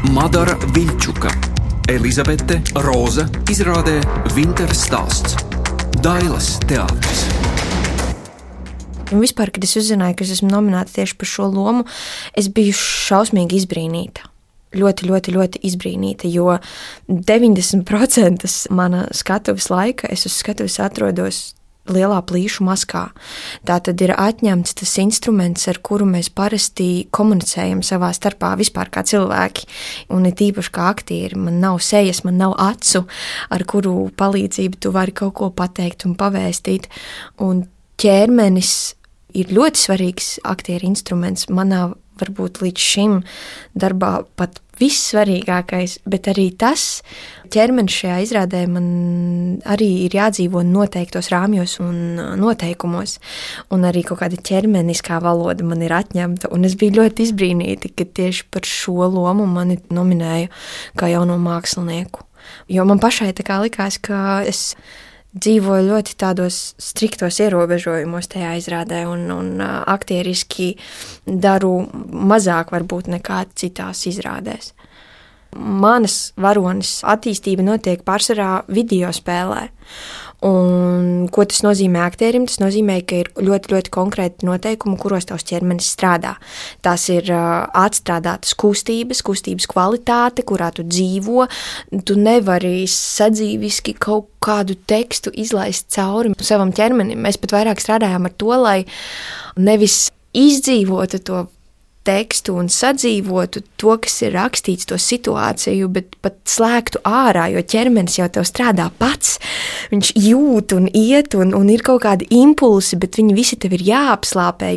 Madara Viļčuka, Elizabete, Roza, izrādē Vinteras stāsts, Dailas teātris. Un vispār, kad es uzzināju, ka es esmu nominēta tieši par šo lomu, es biju šausmīgi izbrīnīta. Ļoti izbrīnīta, jo 90% mana skatuves laika es uz skatuves atrodos lielā plīšu maskā. Tā tad ir atņemts tas instruments, ar kuru mēs parasti komunicējam savā starpā vispār kā cilvēki. Un it īpaši kā aktieri, man nav sejas, man nav acu, ar kuru palīdzību tu vari kaut ko pateikt un pavēstīt. Un ķermenis ir ļoti svarīgs aktieru instruments. Manā varbūt līdz šim darbā pat vissvarīgākais, bet arī tas ķermenis šajā izrādē man arī ir jādzīvo noteiktos rāmjos un noteikumos, un arī kaut kāda ķermeniskā valoda man ir atņemta, un es biju ļoti izbrīnīta, ka tieši par šo lomu mani nominēja kā jauno mākslinieku. Jo man pašai tā kā likās, ka es dzīvoju ļoti tādos striktos ierobežojumos tajā izrādē un aktieriski daru mazāk varbūt nekā citās izrādēs. Manas varonis attīstība notiek pārsvarā video spēlē. Un ko tas nozīmē aktierim? Tas nozīmē, ka ir ļoti konkrēti noteikumi, kuros tavs ķermenis strādā. Tās ir atstrādātas kustības kvalitāte, kurā tu dzīvo. Tu nevari sadzīviski kaut kādu tekstu izlaist cauri savam ķermenim. Mēs pat vairāk strādājām ar to, lai nevis izdzīvotu to tekstu un sadzīvotu to, kas ir rakstīts, to situāciju, bet pat slēgtu ārā, jo ķermenis jau tev strādā pats. Viņš jūt un iet un ir kaut kādi impulsi, bet viņi visi tev ir jāapslāpē.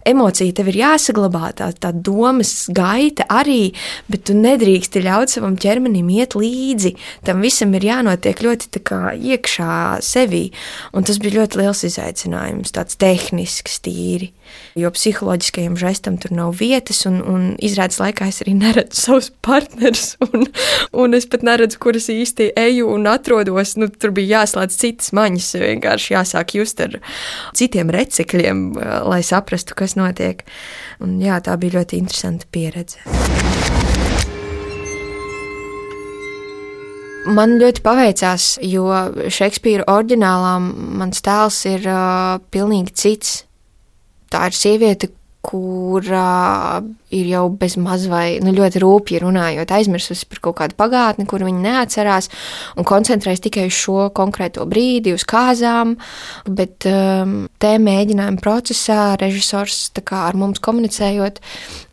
Emocija tev ir jāsaglabā, tā domas gaita arī, bet tu nedrīksti ļaut savam ķermenim iet līdzi. Tam visam ir jānotiek ļoti tā kā iekšā sevī. Un tas bija ļoti liels izaicinājums, tāds tehnisks tīri. Jo psiholoģiskajam žestam tur nav vietas, un izrādes laikā es arī neredzu savus partnerus, un es pat neredzu, kur es īsti eju un atrodos. Tur bija jāslēdz citas maņas, vienkārši jāsāk just ar citiem recekļiem, lai saprastu, kas notiek. Un jā, tā bija ļoti interesanta pieredze. Man ļoti paveicās, jo Šekspīra oriģinālā mans tēls ir pilnīgi cits. Tā ir sieviete, kura ir jau bez maz vai ļoti rūpji runājot, aizmirsusi par kaut kādu pagātni, kuru viņa neatcerās, un koncentrējas tikai uz šo konkrēto brīdi, uz kāzām, bet te mēģinājuma procesā režisors tā kā ar mums komunicējot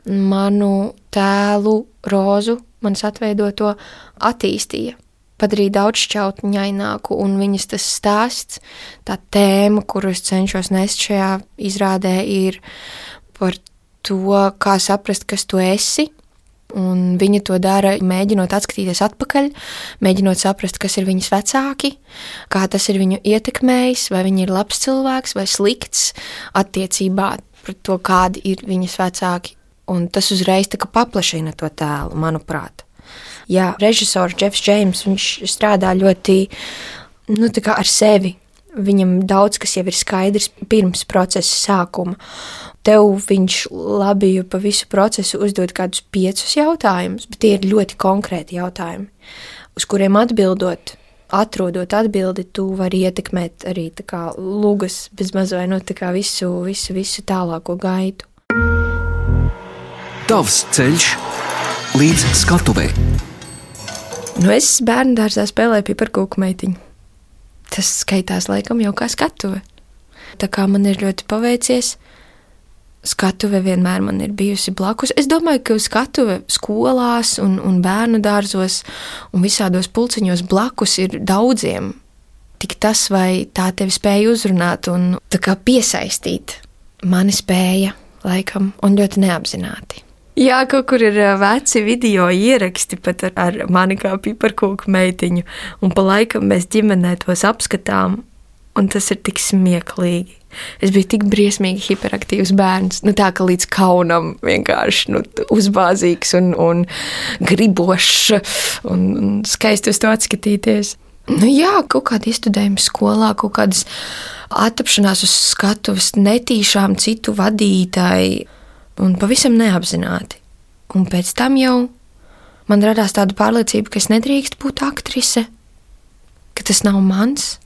manu tēlu Rozu, manas atveidoto, attīstīja. Padarīja daudzšķautņaināku, un viņas tas stāsts, tā tēma, kuru es cenšos nest šajā izrādē, ir par to, kā saprast, kas tu esi, un viņa to dara, mēģinot atskatīties atpakaļ, mēģinot saprast, kas ir viņas vecāki, kā tas ir viņu ietekmējis, vai viņi ir labs cilvēks vai slikts attiecībā pret to, kādi ir viņas vecāki, un tas uzreiz tā kā paplašina to tēlu, manuprāt. Jā, režisors Jeffs Džeims, viņš strādā ļoti tā kā ar sevi. Viņam daudz, kas jau ir skaidrs pirms procesa sākuma. Tev viņš labi pa visu procesu uzdod kādus 5 jautājumus, bet tie ir ļoti konkrēti jautājumi, uz kuriem atbildot, atrodot atbildi, tu vari ietekmēt arī tā kā lugas bezmaz vai tā kā visu tālāko gaitu. Tavs ceļš līdz skatuvei. Es bērnu dārzā spēlēju piparkūku meitiņu. Tas skaitās laikam jau kā skatuve. Tā kā man ir ļoti paveicies, skatuve vienmēr man ir bijusi blakus. Es domāju, ka skatuve skolās un bērnu dārzos un visādos pulciņos blakus ir daudziem. Tik tas, vai tā tevi spēja uzrunāt un tā kā piesaistīt. Mani spēja, laikam, un ļoti neapzināti. Jā, kaut kur ir veci video ieraksti pat ar mani kā piparkūku meitiņu, un pa laikam mēs ģimenē tos apskatām, un tas ir tik smieklīgi. Es biju tik briesmīgi hiperaktīvs bērns, tā ka līdz kaunam vienkārši uzbāzīgs un gribošs un skaisti uz to atskatīties. Jā, kaut kādi iestudējumi skolā, kaut kādas attapšanās uz skatuves netīšām citu vadītāji, un pavisam neapzināti. Un pēc tam jau Man radās tāda pārliecība, ka es nedrīkst būt aktrise, ka tas nav mans,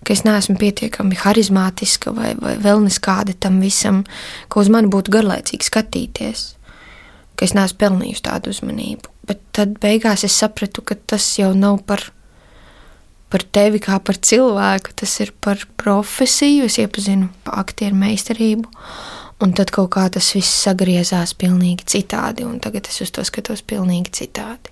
ka es neesmu pietiekami harizmātiska vai vēl neskāda tam visam, ka uz mani būtu garlaicīgi skatīties, ka es neesmu pelnījusi tādu uzmanību. Bet tad beigās es sapratu, ka tas jau nav par tevi kā par cilvēku, tas ir par profesiju, es iepazinu aktieru meistarību, un tad kaut kā tas viss sagriezās pilnīgi citādi, un tagad es uz to skatos pilnīgi citādi.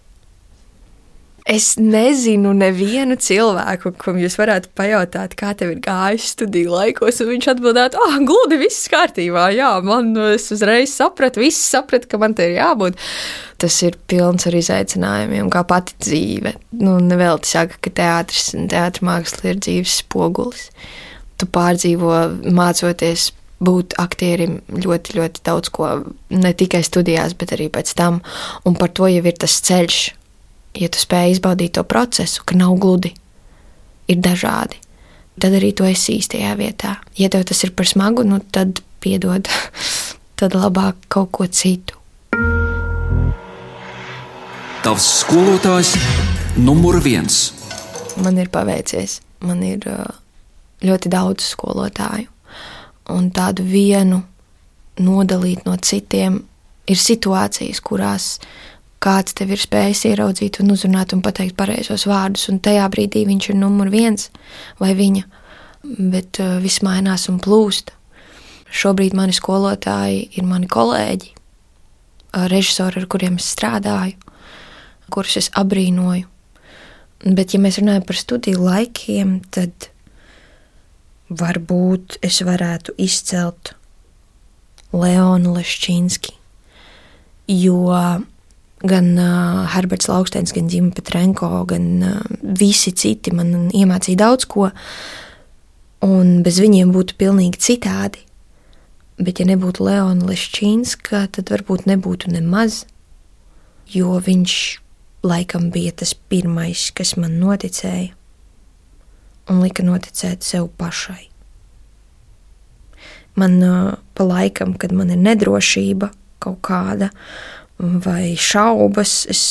Es nezinu nevienu cilvēku, kam jūs varētu pajautāt, kā tev ir gājis studiju laikos, un viņš atbildētu, gludi, viss kārtībā, jā, es uzreiz sapratu, viss sapratu, ka man te ir jābūt. Tas ir pilns ar izaicinājumiem, kā pati dzīve. Nevelti saka, ka teātris un teātra māksla ir dzīves spogulis. Tu pārdzīvo, mācoties būt aktierim ļoti, ļoti daudz ko, ne tikai studijās, bet arī pēc tam, un par to jau ir tas ceļš. Ja tu spēj izbaudīt to procesu, ka nav gludi, ir dažādi, tad arī tu esi īstajā vietā. Ja tev tas ir par smagu, tad piedod, tad labāk kaut ko citu. Tavs skolotājs numur 1. Man ir paveicies. Man ir ļoti daudz skolotāju. Un tādu vienu nodalīt no citiem ir situācijas, kurās kāds tev ir spējis ieraudzīt un uzrunāt un pateikt pareizos vārdus, un tajā brīdī viņš ir numur 1 vai viņa, bet viss mainās un plūst. Šobrīd mani skolotāji ir mani kolēģi, režisori, ar kuriem es strādāju, kurus es abrīnoju. Bet, ja mēs runājam par studiju laikiem, tad varbūt es varētu izcelt Leonu Leščinski, jo gan Herberts Lauksteins, gan Ģima Petrenko, gan visi citi man iemācīja daudz ko, un bez viņiem būtu pilnīgi citādi. Bet ja nebūtu Leona Leščinska, tad varbūt nebūtu nemaz, jo viņš laikam bija tas pirmais, kas man noticēja un lika noticēt sev pašai. Man pa laikam, kad man ir nedrošība kaut kāda, vai šaubas, es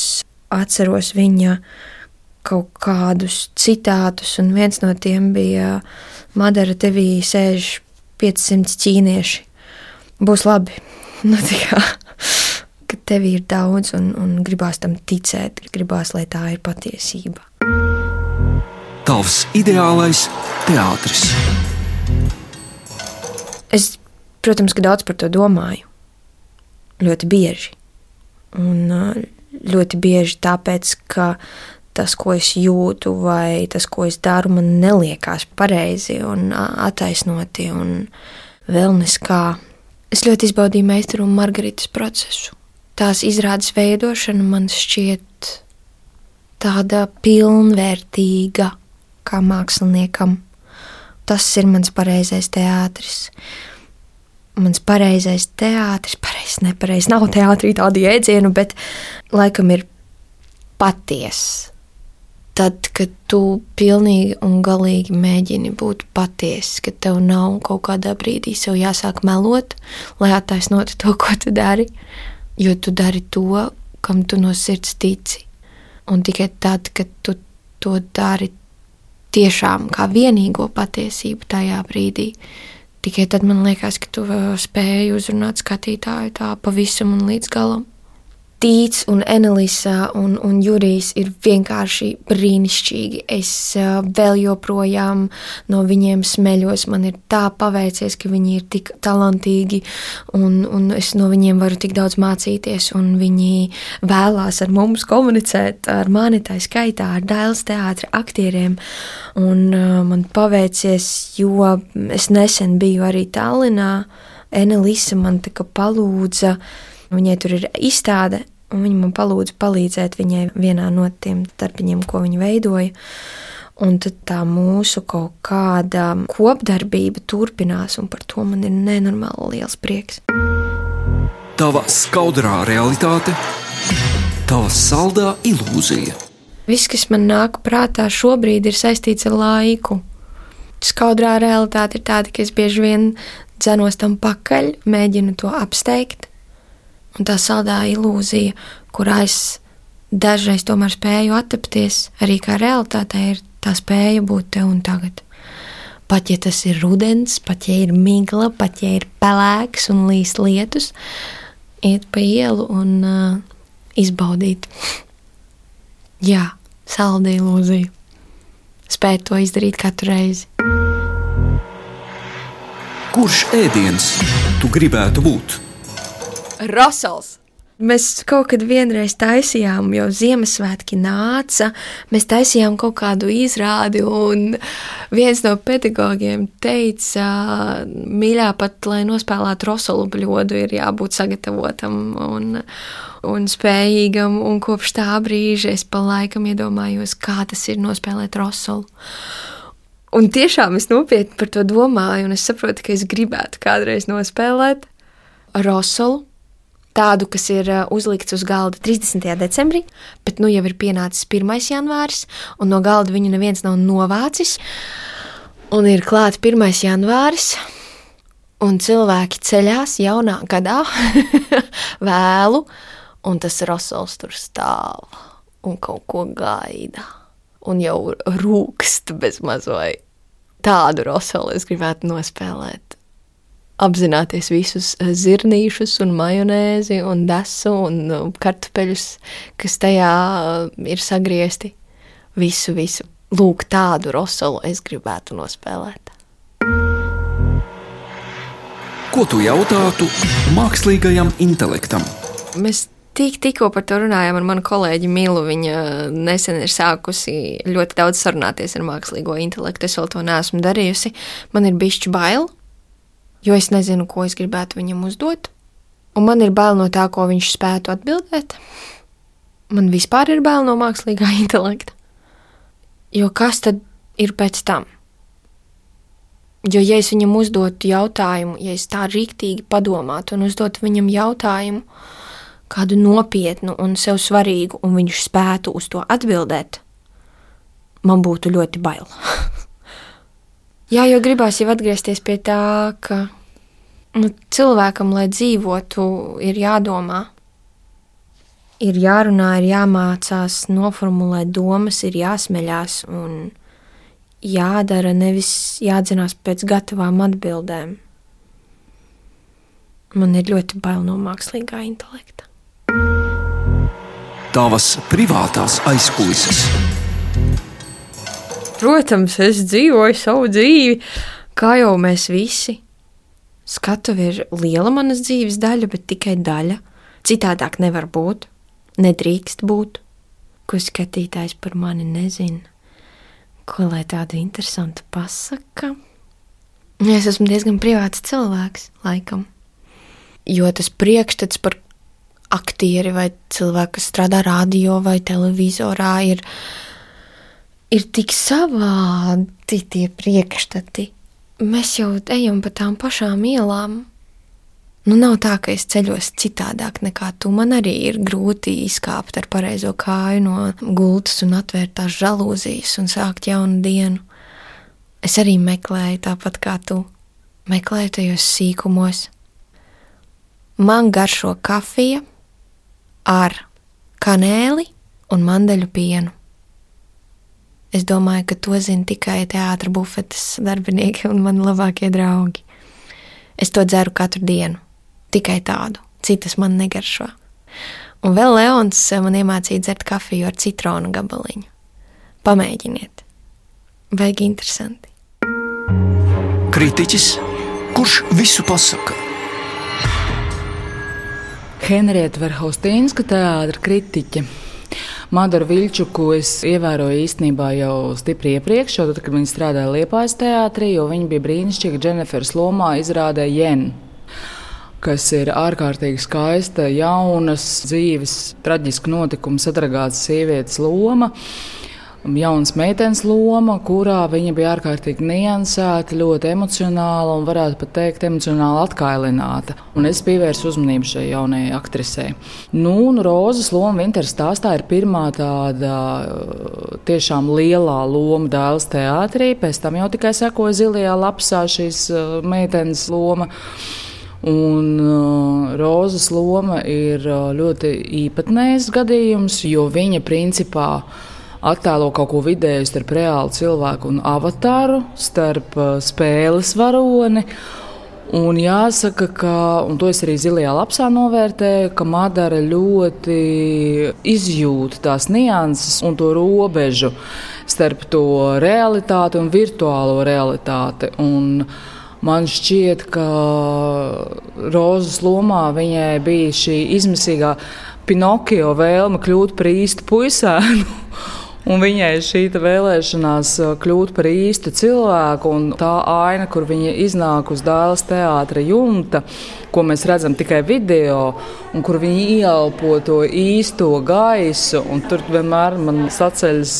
atceros viņa kaut kādus citātus, un viens no tiem bija: Madara, tevī sēž 500 ķīnieši. Būs labi. Ka tevī ir daudz, un gribās tam ticēt, gribās, lai tā ir patiesība. Tavs ideālais teātris. Es, protams, ka daudz par to domāju. Ļoti bieži. Un ļoti bieži tāpēc, ka tas, ko es jūtu vai tas, ko es daru, man neliekās pareizi un attaisnoti un vēl neskā. Es ļoti izbaudīju Meistaru un Margaritas procesu. Tās izrādes veidošana man šķiet tāda pilnvērtīga kā māksliniekam. Tas ir mans pareizais teātris. Mans pareizais teātris, nepareiz, nav teātrī tādu jēdzienu, bet laikam ir paties. Tad, kad tu pilnīgi un galīgi mēģini būt paties, ka tev nav kaut kādā brīdī sev jāsāk melot, lai attaisnotu to, ko tu dari, jo tu dari to, kam tu no sirds tici. Un tikai tad, kad tu to dari tiešām kā vienīgo patiesību tajā brīdī, tikai tad man liekas, ka tu spēji uzrunāt skatītāju tā pavisam un līdz galam. Tīts un Enelisa un Jurijs ir vienkārši brīnišķīgi. Es vēl joprojām no viņiem smeļos. Man ir tā paveicies, ka viņi ir tik talantīgi un es no viņiem varu tik daudz mācīties, un viņi vēlās ar mums komunicēt, ar mani tā skaitā, ar Dailes teātra aktieriem. Un man paveicies, jo es nesen biju arī Tallinā. Enelisa man tā kā palūdza, viņai tur ir izstāde, un viņa man palūdza palīdzēt viņai vienā no tiem darbiņiem, ko viņa veidoja. Un tad tā mūsu kaut kāda kopdarbība turpinās, un par to man ir nenormāli liels prieks. Tava skaudrā realitāte, tava saldā ilūzija. Viss, kas man nāk prātā šobrīd, ir saistīts ar laiku. Skaudrā realitāte ir tāda, ka es bieži vien dzenos tam pakaļ, mēģinu to apsteigt. Un tā saldā ilūzija, kurā es dažreiz tomēr spēju attapties, arī kā realitātē ir tā spēja būt te un tagad. Pat ja tas ir rudens, pat ja ir migla, pat ja ir pelēks un līs lietus, iet pa ielu un izbaudīt. Jā, salda ilūzija. Spēt to izdarīt katru reizi. Kurš ēdiens tu gribētu būt? Rosols! Mēs kaut kad vienreiz taisījām, jo Ziemassvētki nāca, mēs taisījām kaut kādu izrādi, un viens no pedagogiem teica, mīļā, pat, lai nospēlētu rosolu bļodu, ir jābūt sagatavotam un spējīgam, un kopš tā brīža es pa laikam iedomājos, kā tas ir nospēlēt rosolu. Un tiešām es nopietni par to domāju, un es saprotu, ka es gribētu kādreiz nospēlēt rosolu, tādu, kas ir uzlikts uz galda 30. decembrī, bet nu jau ir pienācis 1. janvāris, un no galda viņu neviens nav novācis, un ir klāt 1. janvāris, un cilvēki ceļās jaunā gadā vēlu, un tas rosols tur stāv un kaut ko gaida, un jau rūkst bez mazai. Tādu rosolu es gribētu nospēlēt. Apzināties visus zirnīšus un majonēzi un desu un kartupeļus, kas tajā ir sagriezti. Visu. Lūk, tādu rosolu es gribētu nospēlēt. Ko tu jautātu mākslīgajam intelektam? Mēs tikko par to runājām ar manu kolēģi Milu. Viņa nesen ir sākusi ļoti daudz sarunāties ar mākslīgo intelektu. Es vēl to neesmu darījusi. Man ir bišķi bail, jo es nezinu, ko es gribētu viņam uzdot, un man ir bail no tā, ko viņš spētu atbildēt. Man vispār ir bail no mākslīgā intelekta. Jo kas tad ir pēc tam? Jo, ja es viņam uzdotu jautājumu, ja es tā riktīgi padomātu un uzdotu viņam jautājumu, kādu nopietnu un sev svarīgu, un viņš spētu uz to atbildēt, man būtu ļoti bail. Jā, jo gribās jau atgriezties pie tā, ka cilvēkam, lai dzīvotu, ir jādomā, ir jārunā, ir jāmācās noformulēt domas, ir jāsmeļās un jādara, nevis jādzinās pēc gatavām atbildēm. Man ir ļoti bail no mākslīgā intelekta. Tavas privātās aizkulises. Protams, es dzīvoju savu dzīvi, kā jau mēs visi. Skatuve ir liela manas dzīves daļa, bet tikai daļa. Citādāk nevar būt, nedrīkst būt. Ko skatītājs par mani nezina, ko lai tādu interesantu pasaka. Es esmu diezgan privāts cilvēks, laikam. Jo tas priekšstats par aktieri vai cilvēku, kas strādā radio vai televizorā, ir tik savādi tie priekšstati. Mēs jau ejam pa tām pašām ielām. Nu, nav tā, ka es ceļos citādāk nekā tu. Man arī ir grūti izkāpt ar pareizo kāju no gultas un atvērt tās žalūzijas un sākt jaunu dienu. Es arī meklēju tāpat kā tu. Meklēju tajos sīkumos. Man garšo kafija ar kanēli un mandeļu pienu. Es domāju, ka to zina tikai teātra bufetes darbinieki un mani labākie draugi. Es to dzeru katru dienu. Tikai tādu. Citas man negaršo. Un vēl Leons man iemācīja dzert kafiju ar citronu gabaliņu. Pamēģiniet. Baigi interesanti. Kritiķis, kurš visu pasaka? Henrieta Verhaustīnska, teātra kritiķe. Madaru Viļčuku es ievēroju īstenībā jau stipri iepriekš, jo tad, kad viņa strādāja Liepājas teātrī, jo viņa bija brīnišķīga Dženeferas lomā izrādē Jen, kas ir ārkārtīgi skaista, jaunas, dzīves, traģisku notikumu sadragātas sievietes loma. Jaunas meitenes loma, kurā viņa bija ārkārtīgi niansēta, ļoti emocionāla un varētu pat teikt emocionāli atkailināta. Un es pievērsu uzmanību šai jaunajai aktrisei. Un Rozas loma Vinteras stāstā ir pirmā tāda tiešām lielā loma Dēles teātrī, pēc tam jau tikai sekoja Zilajā lapsā šīs meitenes loma. Un Rozas loma ir ļoti īpatnējs gadījums, jo viņa principā attēlo kaut ko vidēju starp reālu cilvēku un avatāru, starp spēles varoni. Un jāsaka, ka, un to es arī Zilajā lapsā novērtēju, ka Madara ļoti izjūt tās nianses un to robežu starp to realitāti un virtuālo realitāti. Un man šķiet, ka Rozas lomā viņai bija šī izmisīgā Pinokio vēlme kļūt par īstu puisēnu. Un viņai šī vēlēšanās kļūt par īstu cilvēku, un tā aina, kur viņa iznāk uz Dailes teātra jumta, ko mēs redzam tikai video, un kur viņa ieelpo to īsto gaisu, un tur vienmēr man saceļas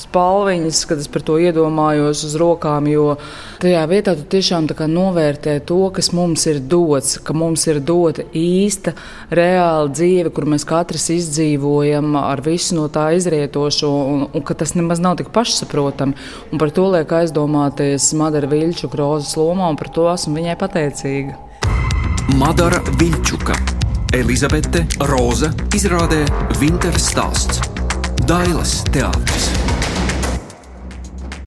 spalviņas, kad es par to iedomājos uz rokām, jo tajā vietā tu tiešām tā kā novērtē to, kas mums ir dots, ka mums ir dota īsta, reāla dzīve, kur mēs katrs izdzīvojam ar visu no tā izrietošo, un ka tas nemaz nav tik pašsaprotami. Un par to liek aizdomāties Madara Viļčuka Rozas lomā, un par to esmu viņai pateicīga. Madara Viļčuka, Elizabete, Roza izrādē Vinteras stāsts. Dailes teātris.